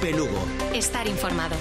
Cope Lugo. Estar informado.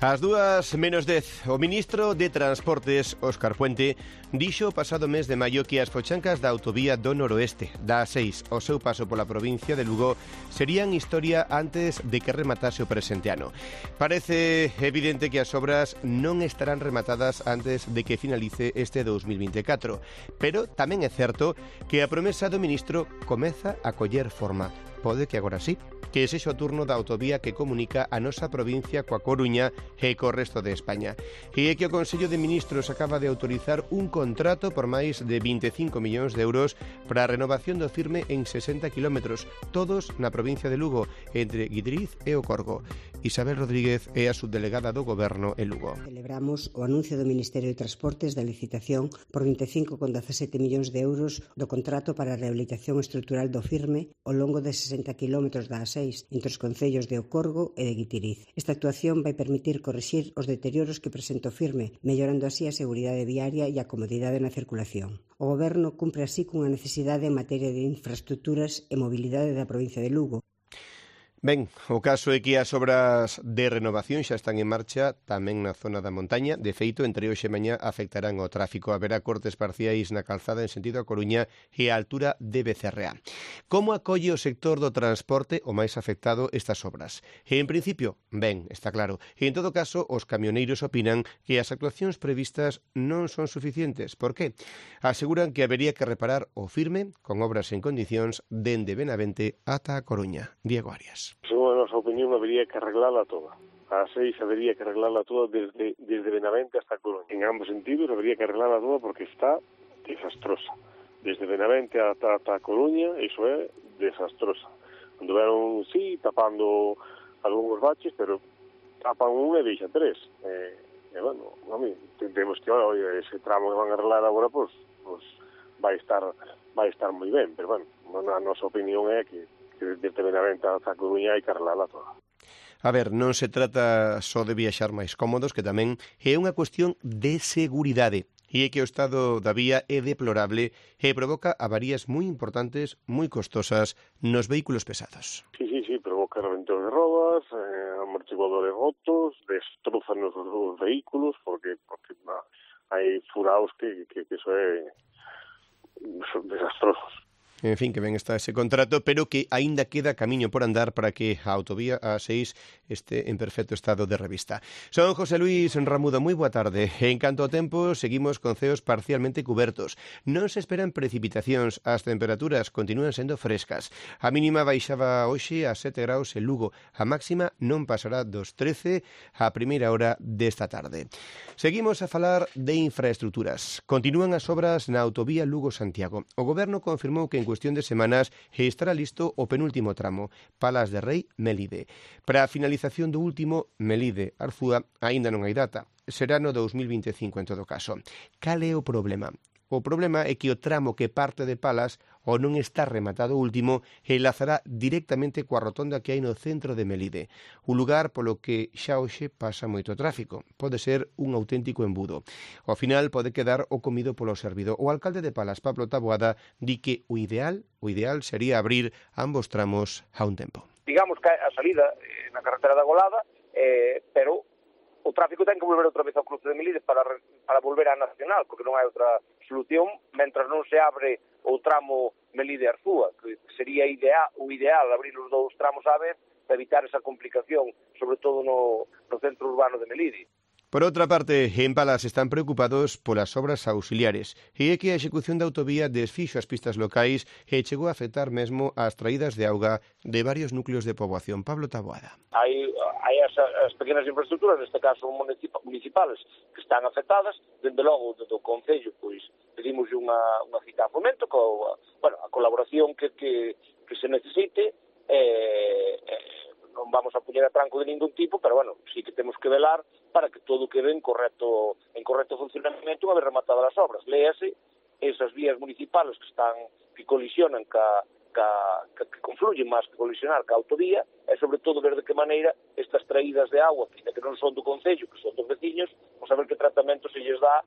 Ás 2:10, o ministro de Transportes, Óscar Puente, dixo o pasado mes de maio que as fochancas da autovía do noroeste, da A6, ao seu paso pola provincia de Lugo, serían historia antes de que rematase o presente ano. Parece evidente que as obras non estarán rematadas antes de que finalice este 2024, pero tamén é certo que a promesa do ministro comeza a coller forma. Pode que agora sí, que sexa o turno da autovía que comunica a nosa provincia coa Coruña e co resto de España. E é que o Consello de Ministros acaba de autorizar un contrato por máis de 25 millóns de euros para a renovación do firme en 60 kilómetros, todos na provincia de Lugo, entre Guidriz e o Corgo. Isabel Rodríguez é a subdelegada do Goberno en Lugo. Celebramos o anuncio do Ministerio de Transportes da licitación por 25,17 millóns de euros do contrato para a rehabilitación estrutural do firme ao longo de 60 kilómetros da A6 entre os concellos de O Corgo e de Guitiriz. Esta actuación vai permitir corrixir os deterioros que presenta o firme, mellorando así a seguridade viaria e a comodidade na circulación. O Goberno cumpre así cunha necesidade en materia de infraestructuras e mobilidade da provincia de Lugo. Ben, o caso é que as obras de renovación xa están en marcha tamén na zona da montaña. De feito, entre hoxe e mañá afectarán o tráfico. Haberá cortes parciais na calzada en sentido a Coruña e a altura de Becerrea. Como acolle o sector do transporte o máis afectado estas obras? E, en principio, ben, está claro. E, en todo caso, os camioneiros opinan que as actuacións previstas non son suficientes. Por qué? Aseguran que habería que reparar o firme con obras en condicións dende Benavente ata a Coruña. Diego Arias. Según a nosa opinión, habería que arreglarla toda. A 6 habería que arreglarla toda desde Benavente hasta Coruña. En ambos sentidos habería que arreglarla toda porque está desastrosa. Desde Benavente ata Coruña, iso é desastrosa. Anduveron, sí, tapando algúns baches, pero tapan un e deixa tres. Bueno, a mí, temos que, ese tramo que van a arreglar agora, pues vai estar moi ben, pero bueno, a nosa opinión é que desde Benavente ata Coruña hai que arreglarla toda. A ver, non se trata só de viaxar máis cómodos, que tamén é unha cuestión de seguridade. E é que o estado da vía é deplorable e provoca avarías moi importantes, moi costosas nos vehículos pesados. Sí, provoca reventos de rodas, amortiguadores rotos, destrozan os vehículos, porque hai furaos que iso é desastrosos. En fin, que ben está ese contrato, pero que aínda queda camiño por andar para que a autovía A6 este en perfecto estado de revista. Son José Luis Ramudo, moi boa tarde. En canto ao tempo, seguimos con ceos parcialmente cubertos. Non se esperan precipitacións, as temperaturas continúan sendo frescas. A mínima baixaba hoxe a 7 graus en Lugo, a máxima non pasará dos 13 a primeira hora desta tarde. Seguimos a falar de infraestructuras. Continúan as obras na autovía Lugo-Santiago. O Goberno confirmou que en cuestión de semanas estará listo o penúltimo tramo, Palas de Rei, Melide. Para a finalización do último, Melide, Arzúa, aínda non hai data. Será no 2025 en todo caso. Cal é o problema? O problema é que o tramo que parte de Palas ou non está rematado o último enlazará directamente coa rotonda que hai no centro de Melide. Un lugar polo que xa hoxe pasa moito tráfico. Pode ser un auténtico embudo. Ao final pode quedar o comido polo servido. O alcalde de Palas, Pablo Taboada, di que o ideal sería abrir ambos tramos a un tempo. Digamos que a salida na carretera da Golada, pero o tráfico ten que volver outra vez ao cruce de Melide para volver á Nacional, porque non hai outra solución, mentras non se abre o tramo Melide-Arzúa, que sería o ideal abrir os dous tramos á vez para evitar esa complicación, sobre todo no centro urbano de Melide. Por outra parte, en Palas están preocupados polas obras auxiliares e é que a execución da autovía desfixo as pistas locais e chegou a afectar mesmo as traídas de auga de varios núcleos de poboación. Pablo Taboada. Hai as pequenas infraestructuras, neste caso municipales, que están afectadas. Dende logo, do Concello, pois pedimos unha cita a Fomento, a colaboración que se necesite. Non vamos a poñer a tranco de ningún tipo, pero sí que temos que velar para que todo quede en correcto funcionamento unha vez rematadas as obras. Léase esas vías municipales que colisionan que confluyen máis que colisionar ca autovía, e sobre todo ver de que maneira estas traídas de agua, que non son do Concello, que son dos veciños, a ver que tratamento se lles dá.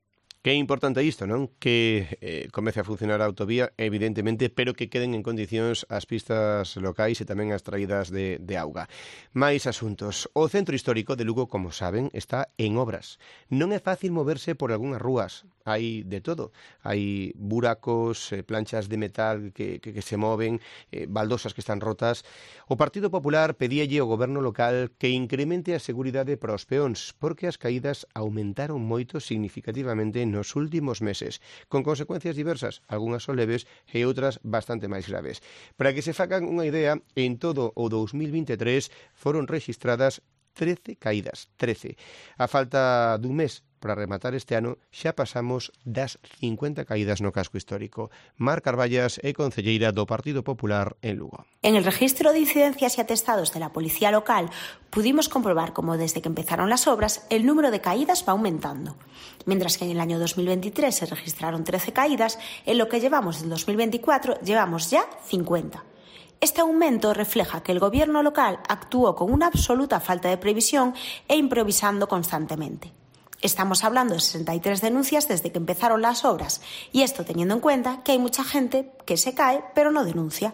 Que é importante isto, non? Que comece a funcionar a autovía, evidentemente, pero que queden en condicións as pistas locais e tamén as traídas de auga. Mais asuntos. O centro histórico de Lugo, como saben, está en obras. Non é fácil moverse por algunhas rúas. Hai de todo. Hai buracos, planchas de metal que se moven, baldosas que están rotas. O Partido Popular pedíalle ao goberno local que incremente a seguridade para os peóns, porque as caídas aumentaron moito significativamente nos últimos meses, con consecuencias diversas, algunhas son leves e outras bastante máis graves. Para que se fagan unha idea, en todo o 2023 foron rexistradas 13 caídas, 13. A falta dun mes para rematar este ano, xa pasamos das 50 caídas no casco histórico. Mar Carballas é concelleira do Partido Popular en Lugo. En el registro de incidencias y atestados de la policía local pudimos comprobar cómo desde que empezaron las obras el número de caídas va aumentando. Mientras que en el año 2023 se registraron 13 caídas, en lo que llevamos del 2024 llevamos ya 50. Este aumento refleja que el gobierno local actuó con una absoluta falta de previsión e improvisando constantemente. Estamos hablando de 63 denuncias desde que empezaron las obras, y esto teniendo en cuenta que hay mucha gente que se cae pero no denuncia.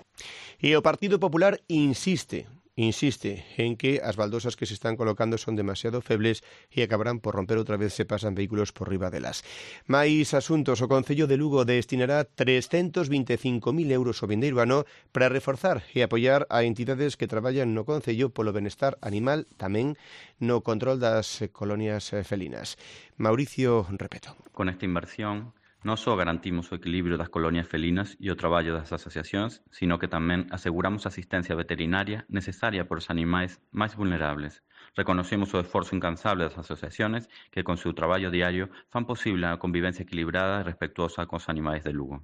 E o Partido Popular insiste en que as baldosas que se están colocando son demasiado febles e acabarán por romper outra vez se pasan vehículos por riba delas. Mais asuntos, o Concello de Lugo destinará 325.000 euros o vindeiro ano para reforzar e apoiar a entidades que traballan no Concello polo benestar animal, tamén no control das colonias felinas. Mauricio Repeto. Con esta inversión non só garantimos o equilibrio das colonias felinas e o traballo das asociacións, sino que tamén aseguramos a asistencia veterinaria necesaria por os animais máis vulnerables. Reconocemos o esforzo incansable das asociacións que con seu traballo diario fan posible a convivencia equilibrada e respetuosa cos animais de Lugo.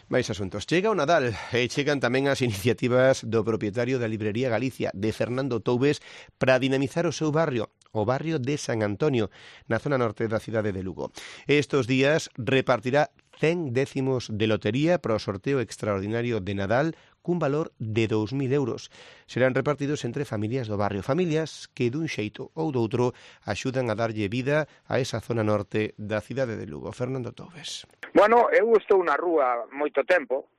Mais asuntos. Chega o Nadal e chegan tamén as iniciativas do propietario da Librería Galicia, de Fernando Toubes, para dinamizar o seu barrio, o barrio de San Antonio, na zona norte da cidade de Lugo. Estos días repartirá 100 décimos de lotería para o sorteo extraordinario de Nadal cun valor de 2.000 euros. Serán repartidos entre familias do barrio, familias que dun xeito ou doutro axudan a darlle vida a esa zona norte da cidade de Lugo. Fernando Toubes. Bueno, eu estou na rúa moito tempo,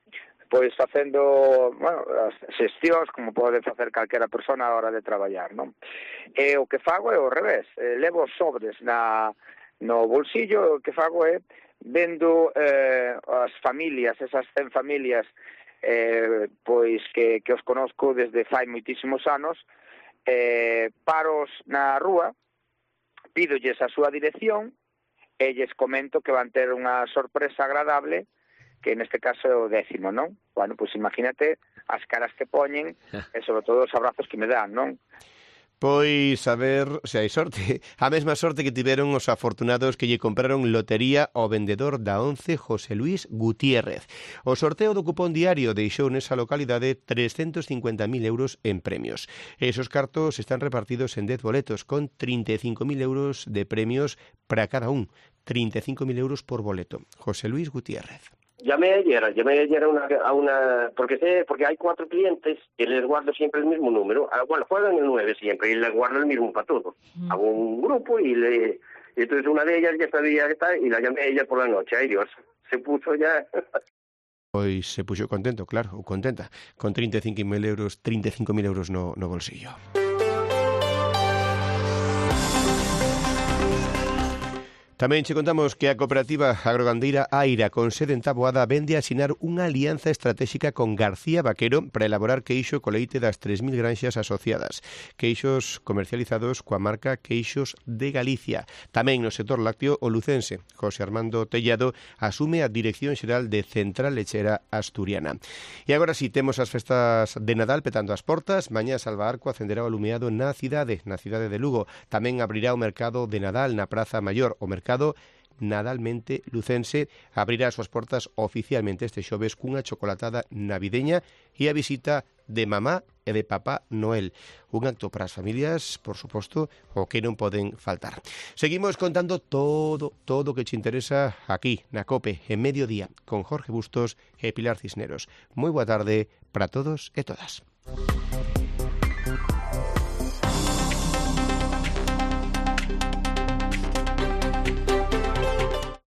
pois facendo, as xestións como pode facer calquera persona a hora de traballar, non? E o que fago é o revés, levo sobres no bolsillo, o que fago é vendo as familias, esas 100 familias pois que os conozco desde fai moitísimos anos, paros na rúa, pídolles a súa dirección e lles comento que van ter unha sorpresa agradable, que neste caso é o 10º, non? Bueno, pois imagínate as caras que poñen e sobre todo os abrazos que me dan, non? Pois a ver se hai sorte. A mesma sorte que tiveron os afortunados que lle compraron lotería ao vendedor da 11, José Luis Gutiérrez. O sorteo do cupón diario deixou nesa localidade 350.000 euros en premios. Esos cartos están repartidos en 10 boletos con 35.000 euros de premios para cada un. 35.000 euros por boleto. José Luis Gutiérrez. Llamé ayer a una porque hay 4 clientes y les guardo siempre el mismo número. Bueno, juegan el 9 siempre y les guardo el mismo para todos. Hago un grupo y entonces una de ellas ya sabía que está y la llamé a ella por la noche. Ay Dios, se puso ya... Pois se puxo contento, claro, ou contenta, con 35.000 euros no bolsillo. Tamén che contamos que a cooperativa agrogandeira Aira, con sede en Taboada, vende a asinar unha alianza estratégica con García Vaquero para elaborar queixo co leite das 3.000 granxas asociadas. Queixos comercializados coa marca Queixos de Galicia. Tamén no sector lácteo, o lucense José Armando Tellado asume a Dirección Xeral de Central Lechera Asturiana. E agora si temos as festas de Nadal petando as portas. Mañá Salva Arco acenderá o alumeado na cidade de Lugo. Tamén abrirá o mercado de Nadal na Praza Maior, o mercado Nadalmente Lucense abrirá as súas portas oficialmente este xoves cunha chocolatada navideña e a visita de mamá e de papá Noel. Un acto para as familias, por suposto, o que non poden faltar. Seguimos contando todo o que te interesa aquí, na COPE, en Mediodía, con Jorge Bustos e Pilar Cisneros. Moi boa tarde para todos e todas.